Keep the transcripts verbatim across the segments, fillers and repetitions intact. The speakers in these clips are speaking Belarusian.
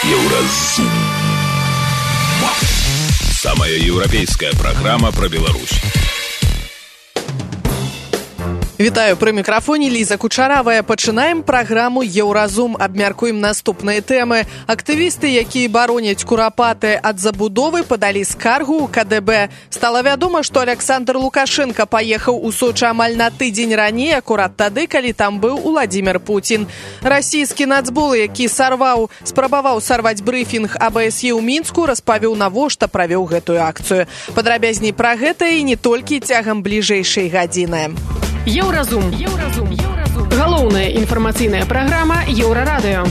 Еўразум. Самая еўрапейская программа про Беларусь. Вітаю, пры мікрафоне Ліза Кучаравая. Пачынаем праграму «Еўразум». Абмяркуем наступныя тэмы. Актывісты, якія бароняць курапаты ад забудовы, падалі скаргу ў ка дэ бэ. Стала вядома, што Александр Лукашенко паехаў у Сочы амаль на тыдзень раней, акурат тады, калі там быў Уладзімір Пуцін. Расійскі нацбол, які сарваў, спрабаваў сарваць брыфінг а бэ эс е ў Мінску, распавёў, навошта правёў гэтую акцыю. Падрабязней пра гэта і не толькі цягам бліжэйшай гадзіны. Еўразум. Еўразум. Еўразум. Галоўная інфармацыйная праграма Еўрарадыё.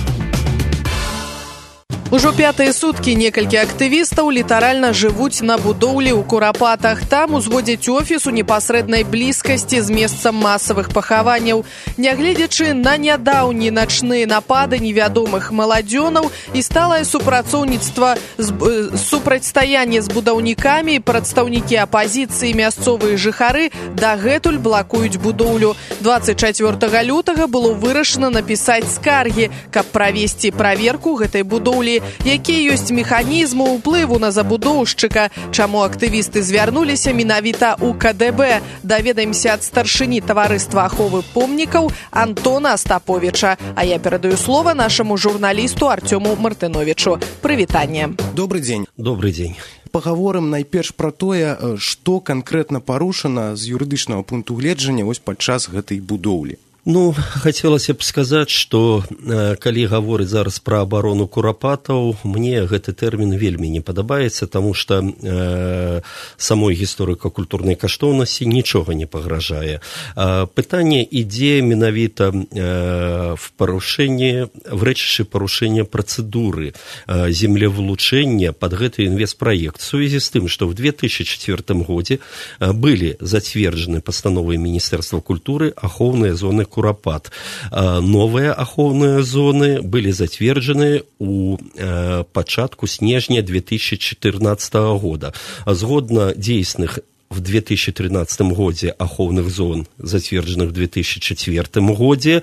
Ужо пятыя суткі некалькі актывістаў літаральна жывуць на будоўлі ў Курапатах. Там узводзяць офіс у непасрэднай блізкасці з месцам масавых пахаванняў. Нягледзячы на нядаўні начныя напады невядомых маладзёнаў і сталае супрацоўніцтва з супрацьстаянне з будаўнікамі, прадстаўнікі апазіцыі, мясцовыя жыхары дагэтуль блакуюць будоўлю. дваццаць чацвёртага лютага было вырашана напісаць скаргі, каб правесці праверку гэтай будоўлі. Якія ёсць механізмы ўплыву на забудоўшчыка, чаму актывісты звярнуліся менавіта ў ка дэ бэ. Даведаемся ад старшыні таварыства аховы помнікаў Антона Астаповіча. А я перадаю слова нашаму журналісту Артёму Мартыновічу. Прывітанне. Добрый дзень. Добрый дзень. Пагаворым найперш пра тое, што канкрэтна парушана з юрыдычнага пункту гледжання вось падчас гэтай будоўлі. Ну, хацелася б сказаць, што э, калі гаворыць зараз пра абарону курапатаў, мне гэты тэрмін вельмі не падабаецца, таму што э, самой гісторыка-культурнай каштоўнасці нічога не пагражае. Э, пытанне ідзе менавіта э, в парушэнні, в рэчышчы парушэння працэдуры э, землевылучэння пад гэты інвестпраект. В сувязі з тым, што в две тысячи четвёртым годзе э, былі зацверджаны пастановай Міністэрства культуры ахоўныя зоны Курапат. Новыя ахоўныя зоны былі зацверджаны ў пачатку снежня две тысячи чатырнаццатага года. Згодна дзейсных в две тысячи тринадцатым годзе ахоўных зон, зацверджаных в две тысячи четвёртым годзе,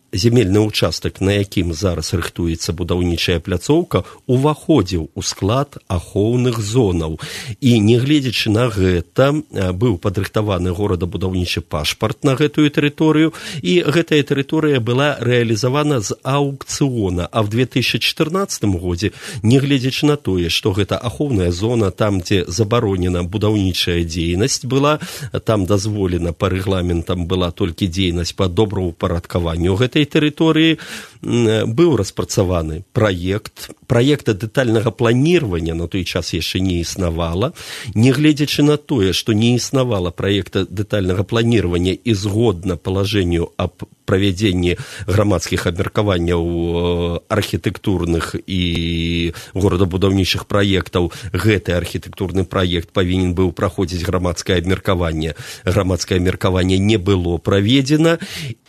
земельны ўчастак, на якім зараз рыхтуецца будаўнічая пляцоўка, уваходзіў у склад ахоўных зонаў. І, нягледзячы на гэта, быў падрыхтаваны горадабудаўнічы пашпарт на гэтую тэрыторыю, і гэтая тэрыторыя была рэалізавана з аўкцыёна. А в две тысячи чатырнаццатым годзе, нягледзячы на тое, што гэта ахоўная зона, там, дзе забаронена будаўнічая дзейнасць была, там дазволена па рэгламентам была толькі дзейнасць па добраўпарадкаванню гэтай тэрыторыі, быў распрацаваны праект. Праекта дэтальнага планирования на той час яшчэ не існавала. Нягледзячы на тое, што не існавала праекта дэтальнага планирования і згодна палажэнню аб правядзенні грамадскіх абмеркаванняў архітэктурных і горадабудаўнічых праектаў, гэты архітэктурны праект павінен быў праходзіць грамадскае абмеркаванне. Грамадскае абмеркаванне не было праведзена.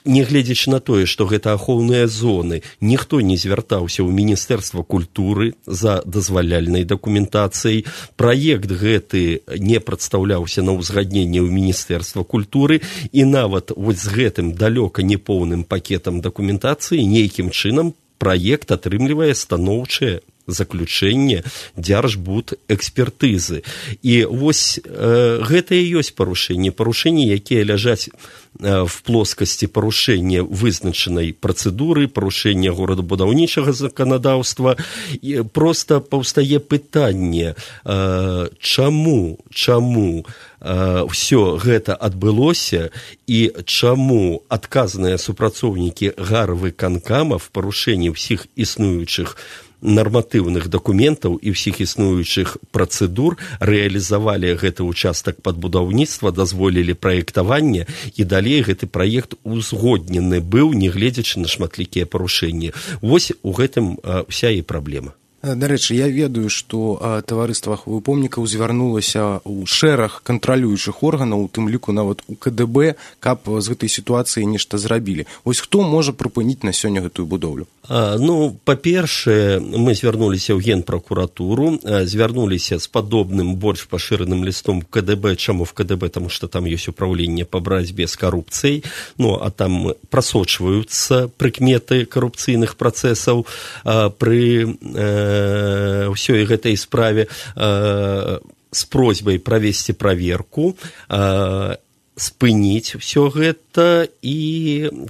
Нягледзячы на тое, што гэта ахоўныя зоны, ніхто не звяртаўся ў Міністэрства культуры за дазваляльнай дакументацыяй. Праект гэты не прадстаўляўся на ўзгадненне ў Міністэрства культуры, і нават вось з гэтым далёка не поўным пакетам дакументацыі нейкім чынам праект атрымлівае станоўчае заключэнне дзяржбудэкспертызы. І вось э, гэта і ёсць парушэнні, парушэнні, якія ляжаць э, в плоскасці парушэння вызначанай працэдуры, парушэння горадабудаўнічага заканадаўства. І проста паўстае пытанне, э, чаму, чаму э, ўсё гэта адбылося і чаму адказныя супрацоўнікі гарвыканкама в парушэнні ўсіх існуючых нарматыўных дакументаў і ўсіх існуючых працэдур рэалізавалі гэты ўчастак пад будаўніцтва, дазволілі праектаванне, і далей гэты праект узгоднены быў, нягледзячы на шматлікія парушэнні. Вось у гэтым а, вся і праблема. Дарэчы, я ведаю, што таварыства аховы помнікаў звярнулася ў шэраг кантралюючых органаў, у тым ліку нават у ка дэ бэ, каб з гэтай сітуацыі нешта зрабілі. Вось хто можа прыпыніць на сёння гэтую будоўлю? А, ну, па-першае, мы звярнуліся ў генпракуратуру, звярнуліся з падобным больш пашыраным лістом в ка дэ бэ. Чаму в ка дэ бэ? Таму што там ёсць управленне па барацьбе з карупцыяй, ну, а там прасочваюцца прыкметы карупцыйных працэсаў а, пры э, ўсёй гэтай справе э, з просьбай правесці праверку, э, спыніць все гэта, і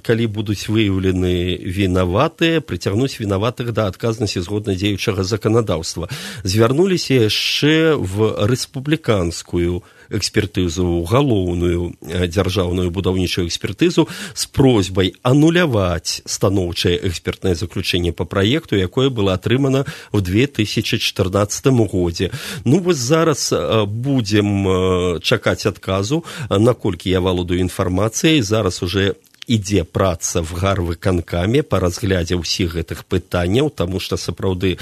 калі будуць выяўлены вінаватыя, прыцягнуць вінаватых да адказнасці згодна дзеючага заканадаўства. Звярнуліся яшчэ в рэспубліканскую экспертызу, галоўную дзяржаўную будаўнічую экспертызу з просьбай ануляваць станоўчае экспертнае заключэнне па праекту, якое было атрымана в две тысячи чатырнаццатым годзе. Ну, вось зараз будзем чакаць адказу, наколькі я валодаю інфармацыяй. Зараз уже ідзе праца в гарвыканкаме па разглядзе ўсіх гэтых пытанняў, таму што сапраўды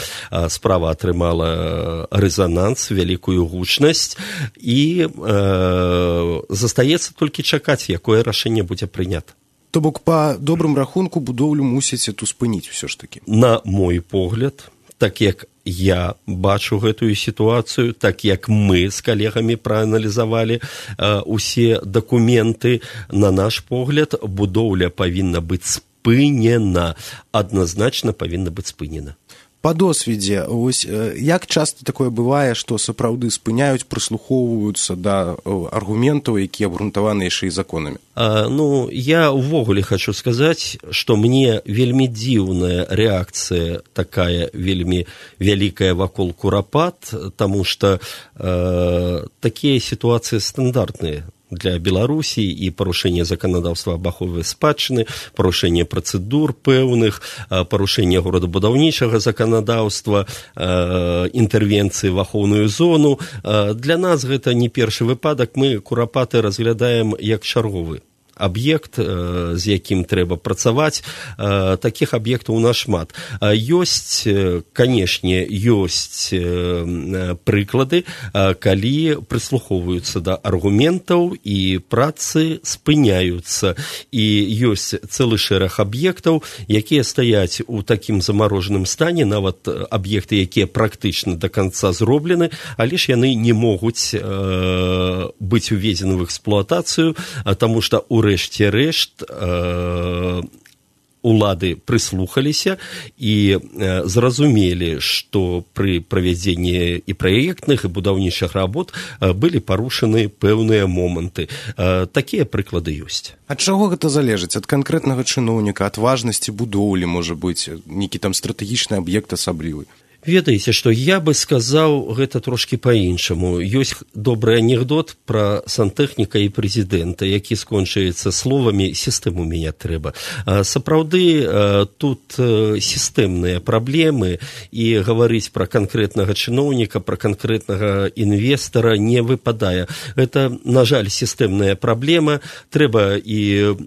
справа атрымала рэзананс, вялікую гучнасць, і э, застаецца толькі чакаць, якое рашэнне будзе прынята. То бок, па добрым рахунку, будоўлю мусіць эту спыніць усё ж такі. На мой погляд, так як я бачу гэтую сітуацыю, так як мы з калегамі прааналізавалі э, усе дакументы, на наш погляд, будоўля павінна быць спынена, адназначна павінна быць спынена. Па досведзе, ось, як часта такое бывае, што сапраўды спыняюць, прыслухоўваюцца да аргументаў, якія абгрунтаваны яшчэ і законамі? А, ну, я ўвогуле хочу сказаць, што мне вельмі дзіўная рэакцыя такая вельмі вялікая вакол курапат, таму што э, такія сітуацыі стандартныя для Беларусі, і парушэнне заканадаўства аб ахове спадчыны, парушэнне працэдур пэўных, парушэнне горадабудаўнічага заканадаўства, інтэрвенцыі в ахоўную зону. Для нас гэта не першы выпадак, мы курапаты разглядаем як чарговы аб'ект, з якім трэба працаваць. Такіх аб'ектаў у нас шмат. Ёсць, канешне, ёсць прыклады, калі прыслухоўваюцца да аргументаў і працы спыняюцца. І ёсць цэлы шэраг аб'ектаў, якія стаяць у такім замарожаным стане, нават аб'екты, якія практычна да канца зроблены, але ж яны не могуць быць уведзены в эксплуатацыю, таму што у рэшце рэшт э, улады прыслухаліся і э, зразумелі, што пры правядзенні і праектных, і будаўнічых работ э, былі парушаны пэўныя моманты. Э, такія прыклады ёсць. Ад чаго гэта залежыць? Ад канкрэтнага чыноўніка, ад важнасці будоўлі, можа быць, нейкі там стратэгічны аб'ект асаблівы? Ведаеце, што я бы сказаў гэта трошкі па-іншаму. Ёсць добры анекдот пра сантэхніка і прэзідэнта, які скончаецца словамі «сістэму мяняць трэба». Сапраўды, тут сістэмныя праблемы, і гаварыць пра канкрэтнага чыноўніка, пра канкрэтнага інвестара не выпадае. Гэта, на жаль, сістэмная праблема. Трэба і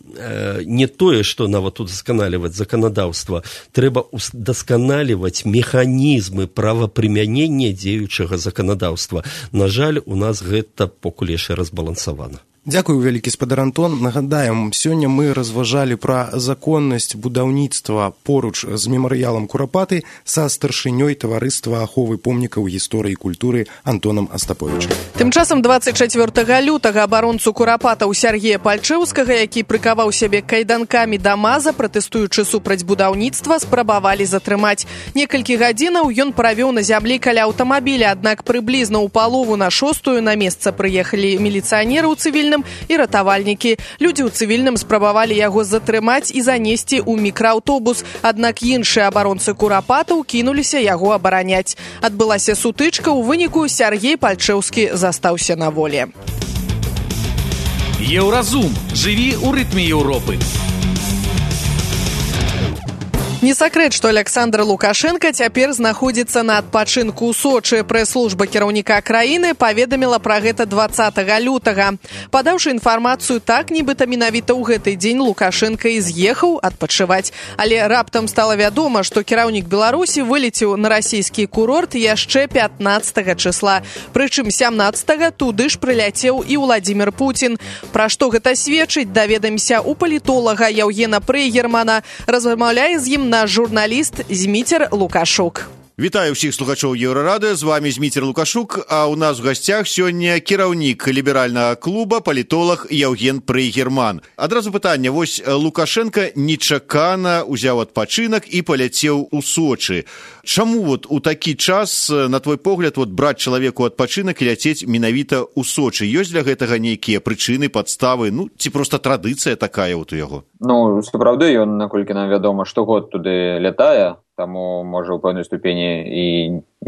не тое, што нават удасканаліваць заканадаўства, трэба удасканаліваць механізм правапрымянення дзеючага заканадаўства. На жаль, у нас гэта покуль яшчэ разбалансавана. Дзякую, вялікі спадар Антон. Нагадаем, сёння мы разважалі пра законнасць будаўніцтва поруч з мемарыялам Курапаты са старшынёй таварыства аховы помнікаў гісторыі і культуры Антонам Астаповічам. Тым часам дваццаць чацвёртага лютага абаронцу Курапатаў Сяргея Пальчэўскага, які прыкаваў сябе кайданкамі да маза, пратэстуючы супраць будаўніцтва, спрабавалі затрымаць. Некалькі гадзінаў ён правёў на зямлі каля аўтамабіля, аднак прыблізна ў палову на шостую на месца прыехалі міліцыянеры ў цывільным і ратавальнікі. Людзі ў цывільным спрабавалі яго затрымаць і занесці ў мікрааўтобус, аднак іншыя абаронцы Курапатаў кінуліся яго абараняць. Адбылася сутычка, у выніку Сяргей Пальчэўскі застаўся на волі. Еўразум. Жыві ў рытме Еўропы. Не сакрэт, што Александр Лукашенко цяпер знаходзіцца на адпачынку ў Сочы. Прэс-служба кіраўніка краіны паведаміла пра гэта дваццатага лютага. Падаўшы інфармацыю так, нібыта менавіта ў гэты дзень Лукашенко і з'ехаў адпачываць. Але раптам стала вядома, што кіраўнік Беларусі вылецеў на расійскі курорт яшчэ пятнаццатага чысла. Прычым сямнаццатага туды ж прыляцеў і Владзімір Пуцін. Пра што гэта сведчыць, даведаемся у палітолага Яўгена Прейгермана. Размаўляе з ім наш журналіст Зміцер Лукашук. Вітаю ўсіх слухачоў Еўрарадыё, з вами Зміцер Лукашук, а ў нас у гасцях сёння кіраўнік ліберальнага клуба, палітолог Яўген Прейгерман. Адразу пытанне, вось Лукашенко нечакана ўзяў адпачынак і паляцеў у Сочы. Чаму вот у такі час, на твой погляд, вот браць чалавеку адпачынак і ляцець менавіта ў Сочы? Ёсць для гэтага нейкія прычыны, падставы, ну, ці проста традыцыя такая вот у яго? Ну, сапраўды, ён, наколькі нам вядома, штогод туды лятае, таму можа ў пэўнай ступені і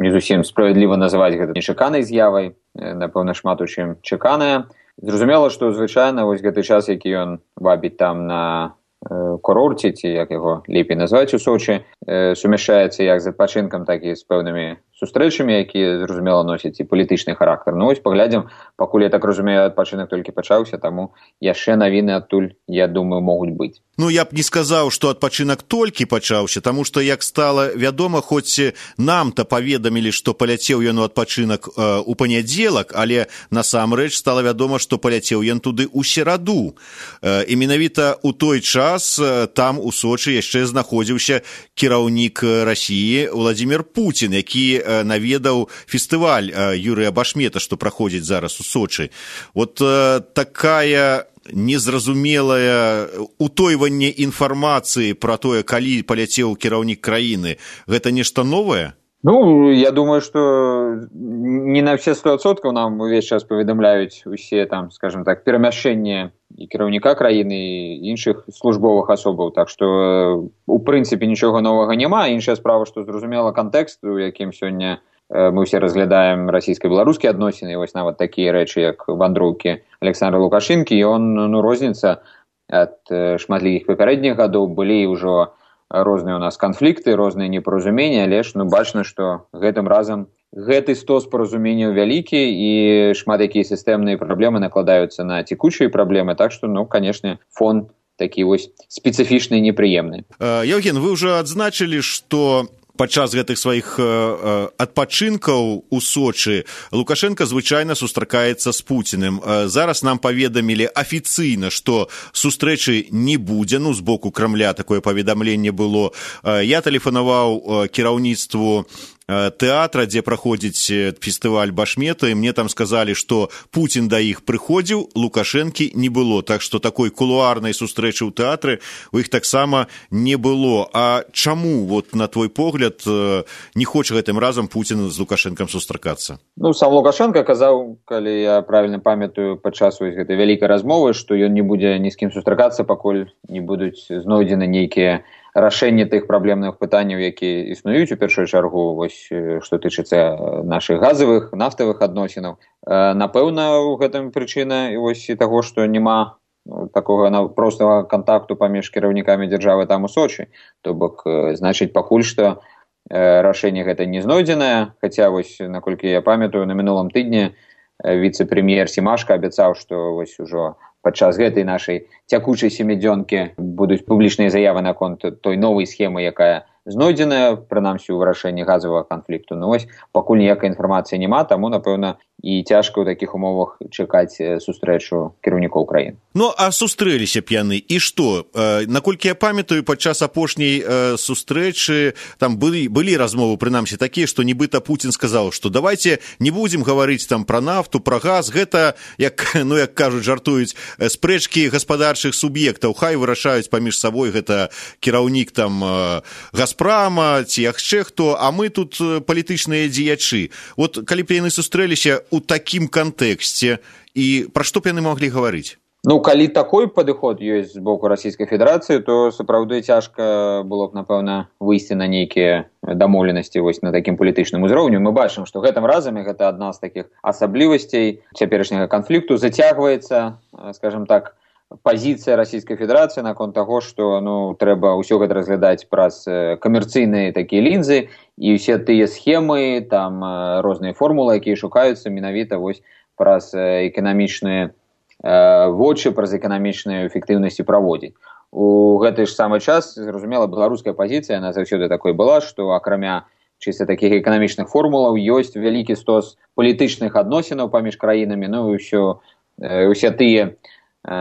не зусім справядліва называць гэта нечаканай з'явай, напэўна, шмат у чым чаканая. Зразумела, што звычайна вось гэты час, які ён вабіць там на э, курорце, ці як яго лепей назваць у Сочы, э, сумяшчаецца як з адпачынкам, так і з пэўнымі сустрэчамі, якія, зразумела, носяць і палітычны характар. Ну вось паглядзім, пакуль я так разумею, адпачынак толькі пачаўся, таму яшчэ навіны адтуль, я думаю, могуць быць. Ну, я б не сказаў, што адпачынак толькі пачаўся, таму што, як стала вядома, хоць нам-то паведамілі, што паляцеў ён у адпачынак э, у панядзелак, але насамрэч стала вядома, што паляцеў ён туды ў сераду. Э, і менавіта ў той час э, там у Сочы яшчэ знаходзіўся кіраўнік Расіі Владзімір Пуцін, які э, наведаў фестываль э, Юрыя Башмета, што праходзіць зараз у Сочы. Вот э, такая незразумелае утойванне інфармацыі пра тое, калі паляцеў кіраўнік краіны, гэта нешта новае? Ну, я думаю, што не на все сто адсоткаў нам увесь час паведамляюць усе там, скажем так, перамяшчэнне і кіраўніка краіны, і іншых службовых асобаў, так што у прынцыпе нічога новага няма. Іншая справа, што зразумела кантэкст, у якім сёння мы ўсе разглядаем расійска-беларускія адносіны, і вось нават такія рэчы, як вандроўкі Александра Лукашэнкі, ён, ну, розніца ад шматлікіх папярэдніх гадоў. Былі ўжо розныя у нас канфлікты, розныя непаразуменні, але ж, ну, бачна, што гэтым разам гэты стос паразуменняў вялікі, і шмат якія сістэмныя праблемы накладаюцца на цекучыя праблемы, так што, ну, канешне, фон такі вось спецыфічны і непрыемны. Яўген, вы ўжо адзначылі, што падчас гэтых сваіх э, адпачынкаў у Сочы Лукашенко звычайна сустракаецца з Пуціним. Э, зараз нам паведамілі афіцыйна, што сустрэчы не будзе, ну, з боку Крамля такое паведамленне было. Э, я тэлефанаваў э, кіраўніцтву тэатра, дзе праходзіць фестываль Башмета, і мне там сказалі, што Пуцін да іх прыходзіў, Лукашэнкі не было, так што такой кулуарнай сустрэчы ў тэатры у іх таксама не было. А чаму, вот, на твой погляд, не хоча гэтым разам Пуцін з Лукашэнкам сустракацца? Ну, сам Лукашенко казаў, калі я правільна памятаю, падчас гэтай вялікай размовы, што ён не будзе ні з кім сустракацца, пакуль не будуць знойдзены нейкія рашэнне тых праблемных пытанняў, якія існуюць у першую чаргу, вось, што тычыцца нашых газавых, нафтавых адносінаў. Напэўна, у гэтым прычына вось і таго, што няма такога простага кантакту паміж кіраўнікамі дзяржавы там у Сочы. То бок, значыць, пакуль што рашэнне гэта не знойдзенае, хаця, вось, наколькі я памятаю, на мінулым тыдні віцэ-прэм'ер Сімашка абяцаў, што вось ужо падчас гэтай нашай цякучай сямідзёнкі будуць публічныя заявы наконт той новай схемы, якая знойдзеная, прынамсі, ў вырашэнні газавага канфлікту. Ну вось, пакуль ніякай інфармацыі няма, таму, напэўна, і цяжка ў такіх умовах чакаць сустрэчу кіраўнікоў краін. Ну, а сустрэліся б яны, і што? Э, наколькі я памятаю, падчас апошняй э, сустрэчы там былі, былі размовы, прынамсі, такія, што нібыта Пуцін сказаў, што давайте не будзем гаварыць там пра нафту, пра газ, гэта, як, ну, як кажуць, жартуюць, спрэчкі гаспадарчых суб'ектаў, хай вырашаюць паміж сабой, гэта кіраўнік там э, Газпрама, ці яшчэ хто, а мы тут палітычныя дзеячы. Вот калі б яны сустрэліся у такім кантэксце, і пра што б яны маглі гаварыць? Ну, калі такой падыход ёсць з боку Расійскай Федэрацыі, то сапраўды цяжка было б, напэўна, выйсці на нейкія дамоўленасці вось на такім палітычным узроўню. Мы бачым, што гэтым разам, і гэта адна з такіх асаблівасцей цяперашняга канфлікту, зацягваецца, скажем так, пазіцыя Расійскай Федэрацыі наконт таго, што ну, трэба ўсё гэта разглядаць праз камерцыйныя такія лінзы і ўсе тыя схемы, там розныя формулы, якія шукаюцца менавіта вось праз эканамічныя э, вочы, праз эканамічную эфектыўнасць праводзіць. У гэты ж самы час, зразумела, беларуская пазіцыя, яна заўсёды такой была, што акрамя чыста такіх эканамічных формулаў ёсць вялікі стос палітычных адносінаў паміж краінамі, ну і ўсё, э, усе тыя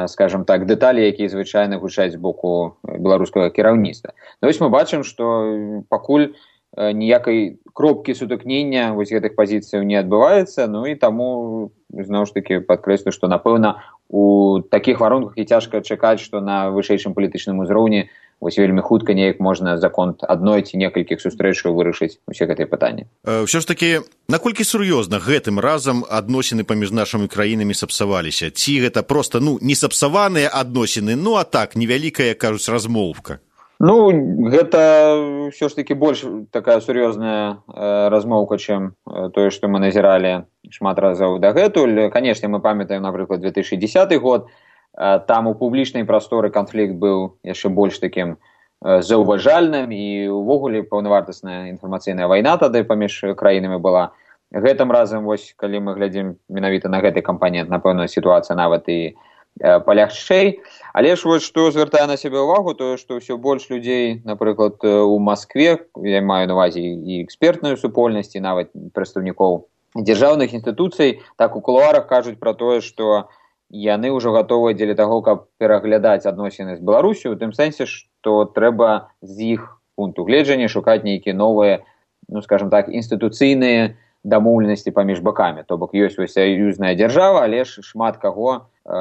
скажем так, дэталі, якія звычайна гучаць з боку беларускага кіраўніцтва. Ну, вось мы бачым, што пакуль ніякай кропкі сутыкнення вось гэтых пазіцыяў не адбываецца, ну і таму, зноў ж такі, падкрэслю, што, напэўна, у такіх варунках і цяжка чакаць, што на вышэйшым палітычным узроўні вось вельмі хутка неяк можна за конт адной ці некалькіх сустрэчаў вырашыць усе гэтыя пытанні. Ўсё ж такі, наколькі сур'ёзна гэтым разам адносіны паміж нашымі краінамі сапсаваліся? Ці гэта проста, ну, не сапсаваныя адносіны, ну, а так, невялікая, кажуць, размоўка? Ну, гэта ўсё ж такі больш такая сур'ёзная э, размоўка, чым э, тое, што мы назіралі шмат разоў дагэтуль. Канешне, мы памятаем, напрыклад, две тысячи десятый год, там у публічнай прасторы канфлікт быў яшчэ больш такім заўважальным і ўвогуле паўнавартасная інфармацыйная вайна тады паміж краінамі была. Гэтым разам, вось, калі мы глядзім менавіта на гэты кампанент, напэўна, сітуацыя нават і палягчэй. Але ж вось што звяртае на сябе ўвагу, тое, што ўсё больш людзей, напрыклад, у Маскве, я маю на увазе і экспертную супольнасць, і нават прадстаўнікоў дзяржаўных інстытуцый, так у кулуарах кажуць пра тое, што яны ўжо гатовыя дзеля таго, каб пераглядаць адносіны з Беларусю, у тым сэнсе, што трэба з іх пункту гледжання шукаць нейкія новыя, ну, скажем так, інстытуцыйныя дамоўленасці паміж бакамі. То бок ёсць вось саюзная дзяржава, але ж шмат каго э,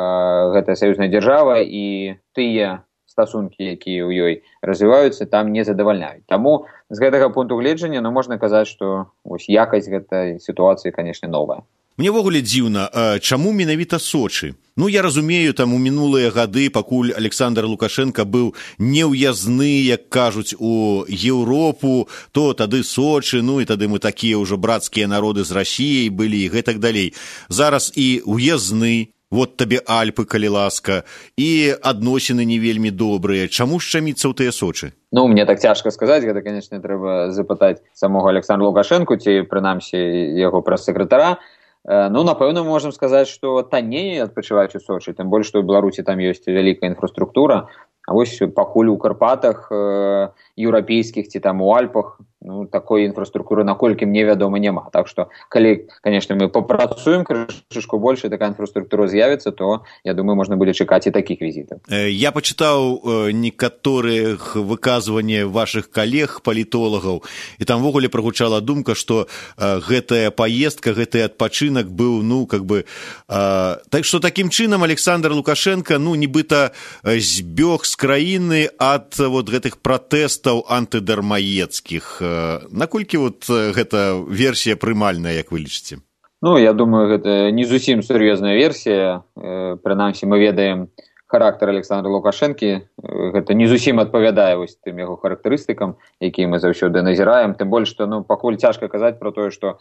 гэтая саюзная дзяржава і тыя стасункі, якія ў ёй развіваюцца, там не задавальняюць. Таму з гэтага пункту гледжання, ну, можна казаць, што вось якасць гэтай сітуацыі, канешне, новая. Мне ввогуле дзіўна, чаму менавіта Сочы? Ну, я разумею, там у мінулыя гады, пакуль Александр Лукашенко быў неўязны, як кажуць, у Еўропу, то тады Сочы, ну і тады мы такія ўжо брацкія народы з Расіяй былі і гэтак далей. Зараз і ўязны, вот табе Альпы, калі ласка, і адносіны не вельмі добрыя. Чаму шчаміцца ў тыя Сочы? Ну, мне так цяжка сказаць, гэта, канечне, трэба запытаць самога Александра Лукашенко, ці, прынамсі, яго прэс-сакратара. Ну, напэўна, можам сказаць, што танней адпачываць у Сочы, тым больш, што ў Беларусі там ёсць вялікая інфраструктура, а вось пакуль у Карпатах, э, еўрапейскіх ці там у Альпах, ну, такой інфраструктуры, наколькі мне вядома, няма. Так што, калі, канешне, мы папрацуем крышку больш, і такая інфраструктура з'явіцца, то, я думаю, можна будзе чакаць і такіх візітаў. Я пачытаў некаторых выказванні вашых калег, палітолагаў, і там ввогуле прагучала думка, што гэтая паездка, гэты адпачынак быў, ну, как бы... Так што такім чынам Александр Лукашенко, ну, нібыта збег з краіны ад вот гэтых пратэстаў антыдармаецкіх. Наколькі вот гэта версія прымальная, як вы лічыце? Ну, я думаю, гэта не зусім сур'ёзная версія. Прынамсі, мы ведаем характар Александра Лукашэнкі. Гэта не зусім адпавядае вось тым яго характарыстыкам, якія мы заўсёды назіраем. Тым больш, што, ну, пакуль цяжка казаць пра тое, што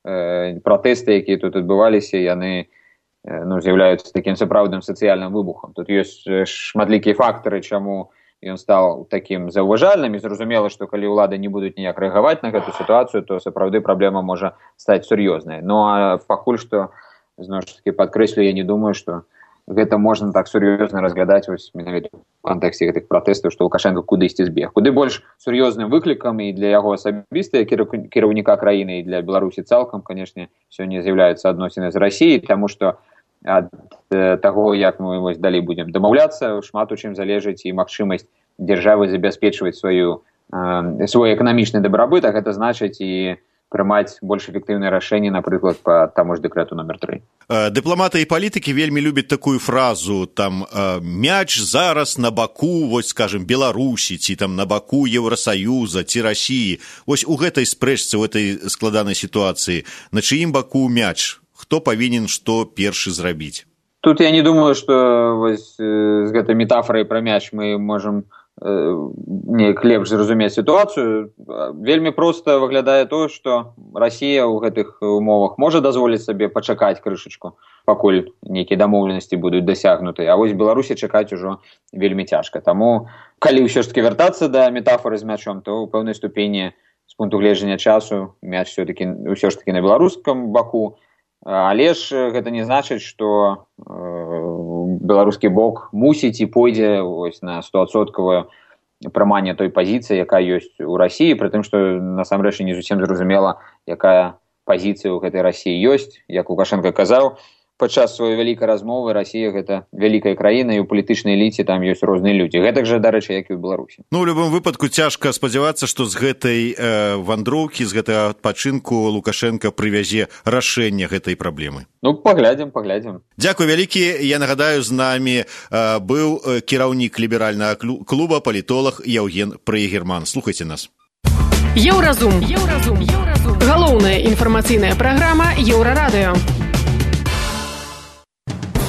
э, пратэсты, якія тут адбываліся, яны э, ну, з'яўляюцца такім сапраўдным сацыяльным выбухам. Тут ёсць шматлікія фактары, чаму ён стаў такім заўважальным, і зразумела, што калі ўлады не будуць ніяк рэагаваць на гэту сітуацыю, то сапраўды праблема можа стаць сур'ёзнай. Ну, а пакуль што, зноў ж такі падкрэслю, я не думаю, што гэта можна так сур'ёзна разглядаць вось менавіта ў кантэксце гэтых пратэстаў, што Лукашенко кудысьці збег. Куды больш сур'ёзным выклікам і для яго асабіста, кіраўніка краіны, і для Беларусі цалкам, канешне, сёння з'яўляюцца адносіны з Расіяй, таму што ад таго, як мы вось далей будзем дамаўляцца, шмат у чым залежыць і магчымасць дзяржавы забяспечваць сваю, э, свой эканамічны дабрабыт, а гэта значыць і прымаць больш эфектыўныя рашэнні, напрыклад, па таму ж дэкрэту номер тры. Дыпламаты і палітыкі вельмі любяць такую фразу, там, мяч зараз на баку, вось, скажем, Беларусі, ці там на баку Еўрасаюза, ці Расіі. Вось у гэтай спрэчцы, у гэтай складанай сітуацыі, на чыім баку мяч? Хто павінен што першы зрабіць? Тут я не думаю, што вось з гэтай метафорай пра мяч мы можам неяк лепш зразумець сітуацыю. Вельмі проста выглядае тое, што Расія ў гэтых умовах можа дазволіць сабе пачакаць крышачку, пакуль нейкія дамоўленасці будуць дасягнуты, а вось Беларусі чакаць ужо вельмі цяжка. Таму, калі ўсё ж такі вяртацца да метафоры з мячом, то ў пэўнай ступені з пункту гледжання часу мяч все-таки, ўсё ж такі на беларускам баку, але ж гэта не значыць, што э, беларускі бок мусіць і пойдзе ось на стоадсоткавае прыманне той пазіцыі, якая ёсць у Расіі, пры тым, што насамрэч не зусім зразумела, якая пазіцыя ў гэтай Расіі ёсць. Як Лукашенко казаў, падчас сваёй вялікай размовы Расія гэта вялікая краіна, і ў палітычнай эліце там ёсць розныя людзі. Гэтак жа, дарэчы, як і ў Беларусі. Ну, ў любым выпадку цяжка спадзявацца, што з гэтай э, вандроўкі, з гэтага адпачынку Лукашенко прывязе рашэнне гэтай праблемы. Ну, паглядзім, паглядзім. Дзякуй вялікі. Я нагадаю, з намі э, быў кіраўнік ліберальнага клуба, палітолог Яўген Прыегерман. Слухайце нас. Еўразум. Еўразум. Еўразум. Галоўная інфармацыйная праграма Еўрарадыё.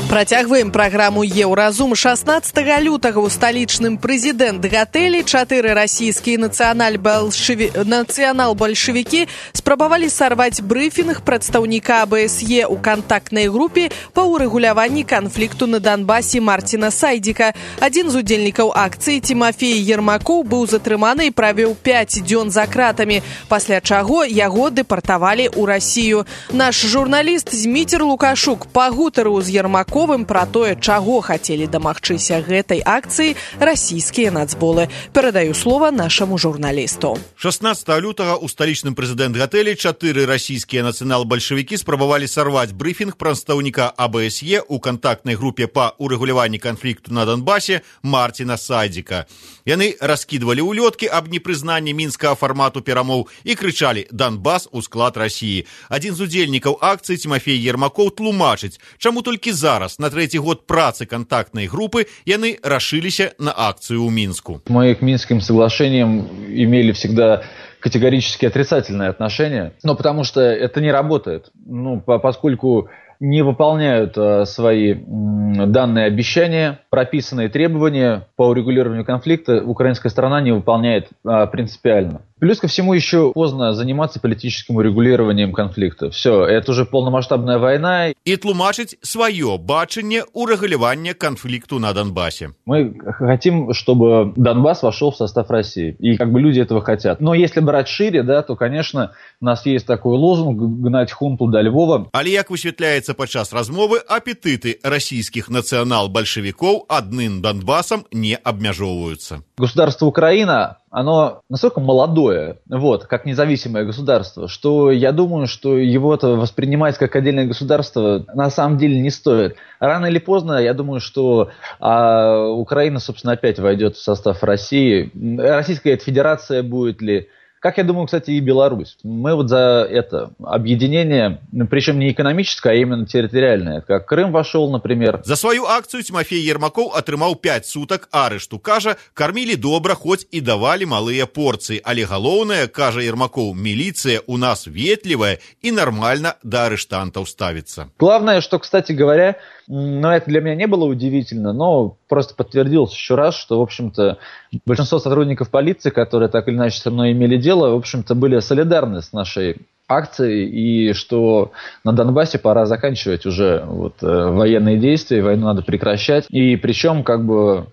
Працягваем праграму «Еўразум». шаснаццатага лютага ў сталічным прэзідэнт-гатэлі чатыры расійскія нацыянал-бальшаві... нацыянал-бальшавікі спрабавалі сарваць брыфінг прадстаўніка АБСЕ ў кантактнай групе па ўрэгуляванні канфлікту на Донбасе Марціна Сайдзіка. Адзін з удзельнікаў акцыі Тимофей Ермакоў быў затрыманы і правёў пяць дзён за кратамі, пасля чаго яго дэпартавалі ў Расію. Наш журналіст Зміцер Лукашук пагутарыў з Ермакоў пра тое, чаго хацелі дамагчыся гэтай акцыі расійскія нацболы. Перадаю слова нашаму журналісту. шаснаццатага лютага ў сталічным прэзідэнт-гатэлі чатыры расійскія нацыянал-бальшавікі спрабавалі сарваць брыфінг прадстаўніка АБСЕ ў кантактнай групе па ўрэгуляванні канфлікту на Донбасе Марціна Сайдзіка. Яны раскідвалі ўлёткі аб непрызнанні мінскага фармату перамоў і крычалі «Донбас у склад Расіі». Адзін з удзельнікаў акцыі Тимофей Ермакоў тлумачыць, чаму толькі зараз, на третий год працы контактной группы, яны решились на акцию у Минску. Мы к Минским соглашениям имели всегда категорически отрицательное отношение, но потому что это не работает. Ну, поскольку не выполняют а, свои м, данные обещания, прописанные требования по урегулированию конфликта украинская сторона не выполняет а, принципиально. Плюс ко всему еще поздно заниматься политическим урегулированием конфликта. Все, это уже полномасштабная война. И тлумачить свое бачение урегулирования конфликту на Донбассе. Мы хотим, чтобы Донбасс вошел в состав России. И как бы люди этого хотят. Но если брать шире, да, то, конечно, у нас есть такой лозунг «Гнать хунту до Львова». Але, як высветляецца падчас размовы, апетиты российских национал-большевиков одним Донбассом не обмяжовываются. Государство Украина, оно настолько молодое, вот, как независимое государство, что я думаю, что его-то воспринимать как отдельное государство на самом деле не стоит. Рано или поздно, я думаю, что а, Украина, собственно, опять войдет в состав России. Российская Федерация будет ли... Как, я думаю, кстати, и Беларусь. Мы вот за это объединение, причем не экономическое, а именно территориальное. Как Крым вошел, например. За свою акцию Тимофей Ермакоў атрымаў пять суток арышту. Кажа, кормили добра, хоть и давали малые порции. Але галоўнае, кажа Ермакоў, милиция у нас ветливая и нормально до арыштантов ставится. Главное, что, кстати говоря, но это для меня не было удивительно, но просто подтвердилось еще раз, что, в общем-то, большинство сотрудников полиции, которые так или иначе со мной имели дело, в общем-то, были солидарны с нашей акцией, и что на Донбассе пора заканчивать уже вот, э, военные действия, войну надо прекращать. И причем, как бы,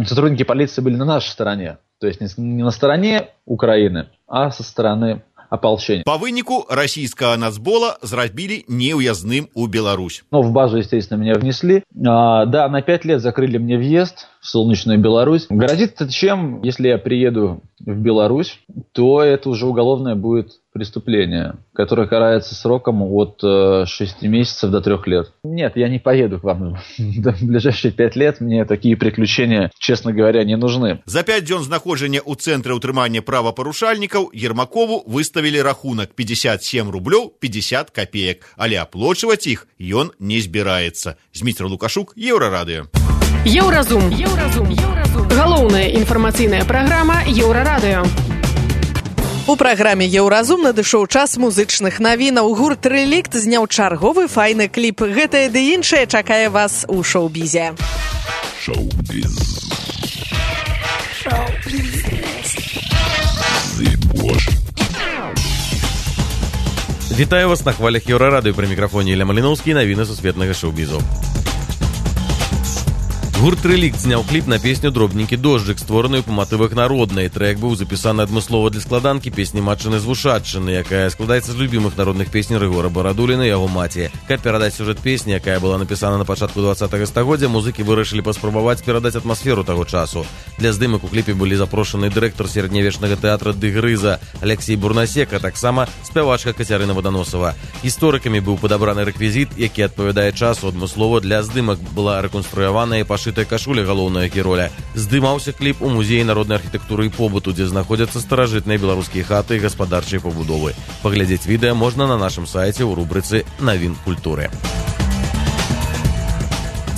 сотрудники полиции были на нашей стороне, то есть не на стороне Украины, а со стороны ополчения. По вынику российского нацбола зрабілі неуязным у Беларусь. Ну, в базу, естественно, меня внесли. А, да, на пять лет закрыли мне въезд в солнечную Беларусь. Грозит это чем, если я приеду в Беларусь, то это уже уголовное будет преступление, которое карается сроком от э, шести месяцев до трех лет. Нет, я не поеду к вам в ближайшие пять лет. Мне такие приключения, честно говоря, не нужны. За пять дзён знаходжання ў цэнтры ўтрымання правапарушальнікаў Ермакову выставілі рахунак пятьдесят семь рублёў пятьдесят копеек, але аплочваць іх ён не збіраецца. Зміцер Лукашук, Еўрарадыё. Еўразум. Еўразум. Еўразум. Галоўная інфармацыйная праграма Еўрарадыё. У праграме «Еўразум» надышоў час музычных навінаў. Гурт «Рэлікт» зняў чарговы файны кліп. Гэтае ды іншае чакае вас у шоу-бізе. Шоу-біз. Шоу. Беларусь. Вітаю вас на хвалях Еўрарадыё, пры мікрафоне Ілля Маліноўскі, навіны сусветнага шоу-бізу. Гурт «Рэлікт» зняў кліп на песню «Дробненькі дожджык», створаную па матывах народнай. Трэк быў запісаны адмыслова для складанкі песні «Матчыны з вушатчыны», якая складаецца з любімых народных песень Рыгора Барадуліна і яго маці. Каб перадаць сюжэт песні, якая была напісана на пачатку двадцатага стагоддзя, музыкі вырашылі паспрабаваць перадаць атмасферу таго часу. Для здымак у кліпе былі запрошаны дырэктар сярэднявечнага тэатра «Ды Грыза» Алексей Бурнасек, а таксама спявачка Кацярына Ваданосава. Гісторыкамі быў падабраны рэквізіт, які адпавядае часу. Адмыслова для здымак была рэканструяваная і пашытая кашуля галоўнага героя. Здымаўся кліп у музеі народнай архітэктуры і побыту, дзе знаходзяцца старажытныя беларускія хаты і гаспадарчыя пабудовы. Паглядзець відэа можна на нашым сайце ў рубрыцы «Навін культуры».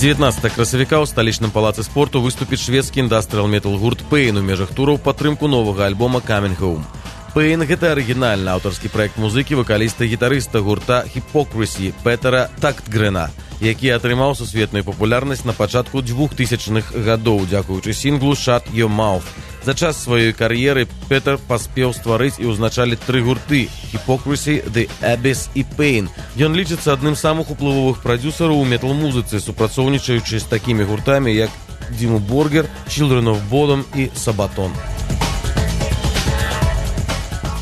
дзевятнаццатага красавіка ў сталічным палацы спорту выступіць шведскі індастрыял-метал гурт Pain у межах тураў падтрымку новага альбома Coming Home. Pain – гэта арыгінальны аўтарскі праект музыкі вакаліста і гітарыста гурта Hypocrisy Петера Тактгрэна, які атрымаў сусветную папулярнасць на пачатку двухтысячных гадоў дзякуючы сінглу «Shut Your Mouth». За час сваёй кар'еры Петер паспеў стварыць і ўзначаліць тры гурты – Hypocrisy, The Abyss і Pain. Ён лічыцца адным з самых уплывовых прадзюсараў у метал-музыцы, супрацоўнічаючы з такімі гуртамі, як Диму Боргер, Children of Bodom і Sabaton.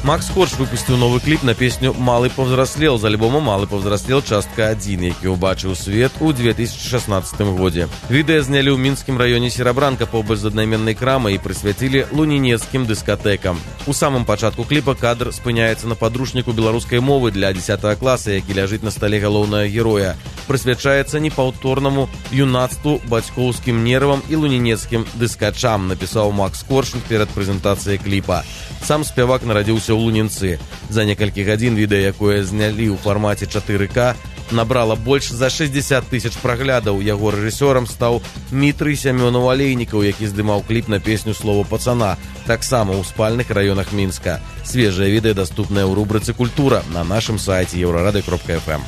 Макс Корж выпусціў новы кліп на песню «Малы павзраслел» з альбома «Малы павзраслел. Частка адзін», які ўбачыў свет у две тысячы шаснаццатым годзе. Відэа знялі ў мінскім раёне Серабранка побач з аднайменнай крамай і прысвяцілі лунінецкім дыскатэкам. У самым пачатку кліпа кадр спыняецца на падручніку беларускай мовы для дзесятага класа, які ляжыць на стале галоўнага героя. Прысвячаецца непаўторнаму юнацтву, бацькоўскім нервам і лунінецкім дыскачам, напісаў Макс Корж перад прэзентацыяй кліпа. Сам спявак нарадзіўся ў Лунінцы. За некалькі гадзін відэа, якое знялі ў фармаце чатыры ка, набрала больш за шэсцьдзесят тысяч праглядаў. Яго рэжысёрам стаў Мітрый Сямёнаў Алейнікаў, які здымаў кліп на песню «Слово пацана», таксама ў спальных раёнах Мінска. Свежае відэа даступнае ў рубрыцы «Культура» на нашым сайце еўрарадыё кропка эф эм.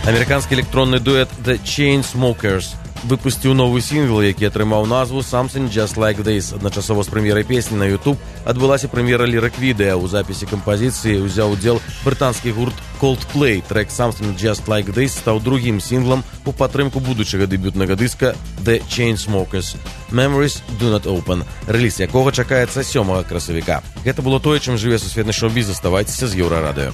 Амерыканскі электронны дуэт The Chainsmokers выпусціў новы сінгл, які атрымаў назву «Something Just Like This». Адначасова з прэм'ерай песні на YouTube адбылася прэм'ера лірык-відэа. У запісе кампазіцыі ўзяў удзел брытанскі гурт Coldplay. Трэк «Something Just Like This» стаў другім сінглам у падтрымку будучага дэбютнага дыска The Chainsmokers «Memories Do Not Open», рэліз якога чакаецца сёмага красавіка. Гэта было тое, чым жыве сусветны шоу-біз. Заставайцеся з Еўрарадыё.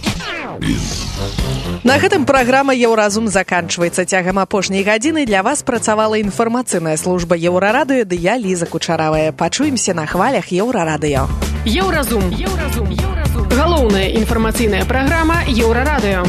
На гэтым праграма «Еўразум» заканчваецца. Цягам апошняй гадзіны для вас працавала інфармацыйная служба Еўрарадыё, ды я, Ліза Кучаравая. Пачуемся на хвалях Еўрарадыё. Еўразум. Еўразум. Еўразум. Галоўная інфармацыйная праграма Еўрарадыё.